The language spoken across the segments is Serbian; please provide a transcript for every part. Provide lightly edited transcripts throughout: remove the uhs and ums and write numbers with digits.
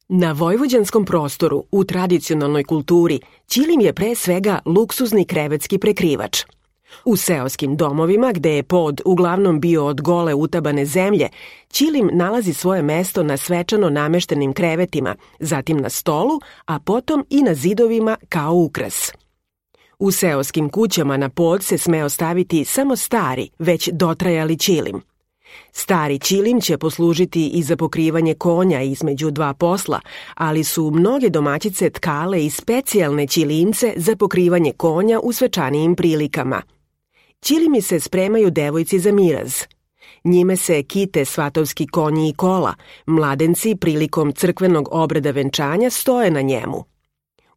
Na vojvođanskom prostoru, u tradicionalnoj kulturi, ćilim je pre svega luksuzni krevetski prekrivač. U seoskim domovima, gde je pod uglavnom bio od gole utabane zemlje, ćilim nalazi svoje mesto na svečano nameštenim krevetima, zatim na stolu, a potom i na zidovima kao ukras. U seoskim kućama na pod se sme ostaviti samo stari, već dotrajali ćilim. Stari ćilim će poslužiti i za pokrivanje konja između dva posla, ali su mnoge domaćice tkale i specijalne ćilimce za pokrivanje konja u svečanijim prilikama. Ćilimi se spremaju devojci za miraz. Njime se kite svatovski konji i kola, mladenci prilikom crkvenog obreda venčanja stoje na njemu.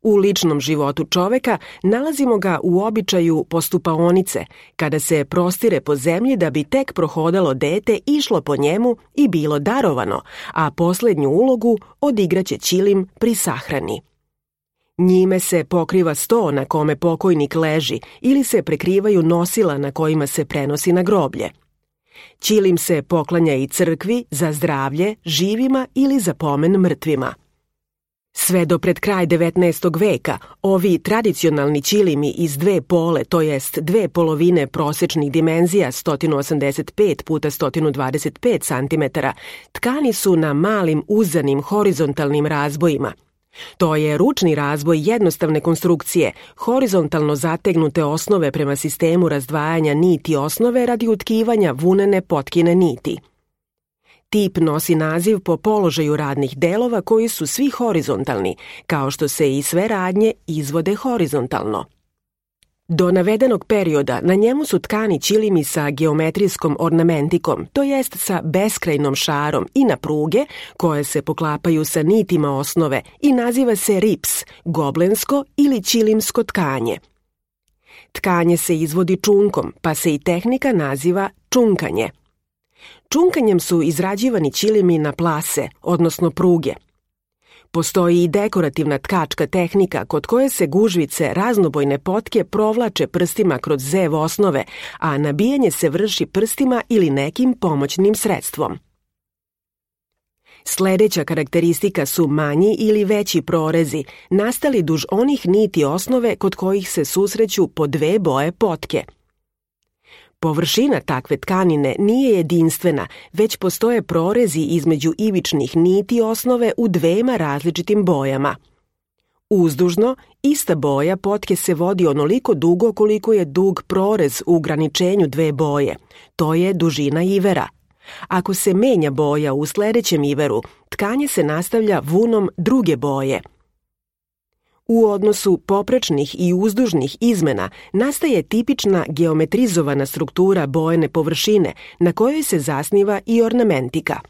U ličnom životu čoveka nalazimo ga u običaju postupaonice, kada se prostire po zemlji da bi tek prohodalo dete išlo po njemu i bilo darovano, a poslednju ulogu odigraće ćilim pri sahrani. Njime se pokriva sto na kome pokojnik leži ili se prekrivaju nosila na kojima se prenosi na groblje. Ćilim se poklanja i crkvi za zdravlje, živima ili za pomen mrtvima. Sve do pred kraj 19. veka, ovi tradicionalni ćilimi iz dve pole, to jest dve polovine prosečnih dimenzija 185 x 125 cm, tkani su na malim uzanim horizontalnim razbojima. To je ručni razboj jednostavne konstrukcije, horizontalno zategnute osnove prema sistemu razdvajanja niti osnove radi utkivanja vunene potkine niti. Tip nosi naziv po položaju radnih delova koji su svi horizontalni, kao što se i sve radnje izvode horizontalno. Do navedenog perioda na njemu su tkani ćilimi sa geometrijskom ornamentikom, to jest sa beskrajnom šarom i na pruge koje se poklapaju sa nitima osnove i naziva se rips, goblensko ili ćilimsko tkanje. Tkanje se izvodi čunkom, pa se i tehnika naziva čunkanje. Čunkanjem su izrađivani ćilimi na plase, odnosno pruge. Postoji i dekorativna tkačka tehnika kod koje se gužvice raznobojne potke provlače prstima kroz zev osnove, a nabijanje se vrši prstima ili nekim pomoćnim sredstvom. Sledeća karakteristika su manji ili veći prorezi, nastali duž onih niti osnove kod kojih se susreću po dve boje potke. Površina takve tkanine nije jedinstvena, već postoje prorezi između ivičnih niti osnove u dvema različitim bojama. Uzdužno, ista boja potke se vodi onoliko dugo koliko je dug prorez u ograničenju dve boje. To je dužina ivera. Ako se menja boja u sledećem iveru, tkanje se nastavlja vunom druge boje. U odnosu poprečnih i uzdužnih izmena nastaje tipična geometrizovana struktura bojene površine na kojoj se zasniva i ornamentika.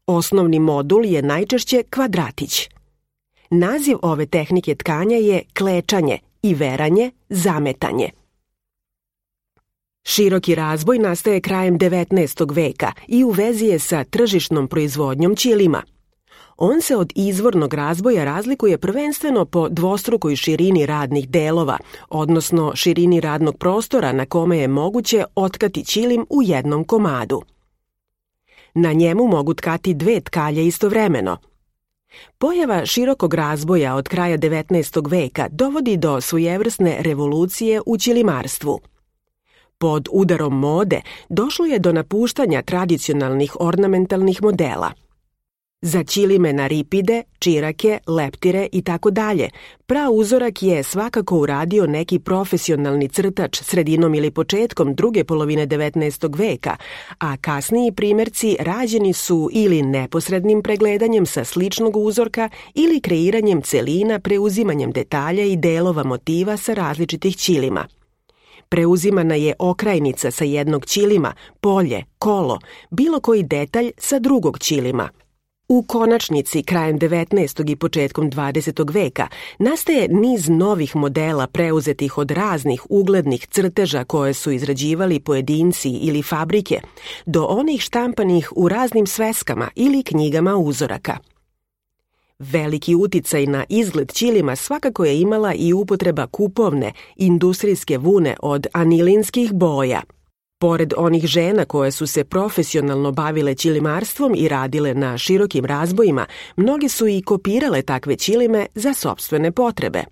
Osnovni modul je najčešće kvadratić. Naziv ove tehnike tkanja je klečanje, iveranje, zametanje. Široki razboj nastaje krajem 19. veka i u vezi je sa tržišnom proizvodnjom ćilima. On se od izvornog razboja razlikuje prvenstveno po dvostrukoj širini radnih delova, odnosno širini radnog prostora na kome je moguće otkati ćilim u jednom komadu. Na njemu mogu tkati dve tkalje istovremeno. Pojava širokog razboja od kraja 19. veka dovodi do svojevrsne revolucije u ćilimarstvu. Pod udarom mode došlo je do napuštanja tradicionalnih ornamentalnih modela. Za ćilime na ripide, čirake, leptire i tako dalje, prauzorak je svakako uradio neki profesionalni crtač sredinom ili početkom druge polovine 19. veka, a kasniji primerci rađeni su ili neposrednim pregledanjem sa sličnog uzorka ili kreiranjem celina preuzimanjem detalja i delova motiva sa različitih ćilima. Preuzimana je okrajnica sa jednog ćilima, polje, kolo, bilo koji detalj sa drugog ćilima. U konačnici, krajem 19. i početkom 20. veka, nastaje niz novih modela preuzetih od raznih uglednih crteža koje su izrađivali pojedinci ili fabrike, do onih štampanih u raznim sveskama ili knjigama uzoraka. Veliki uticaj na izgled ćilima svakako je imala i upotreba kupovne, industrijske vune od anilinskih boja. Pored onih žena koje su se profesionalno bavile ćilimarstvom i radile na širokim razbojima, mnoge su i kopirale takve ćilime za sopstvene potrebe.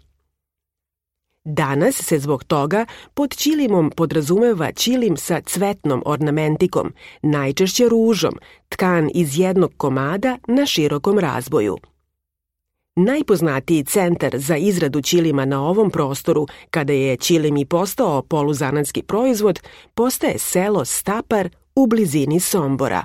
Danas se zbog toga pod ćilimom podrazumeva ćilim sa cvetnom ornamentikom, najčešće ružom, tkan iz jednog komada na širokom razboju. Najpoznatiji centar za izradu ćilima na ovom prostoru, kada je ćilim i postao poluzanatski proizvod, postaje selo Stapar u blizini Sombora.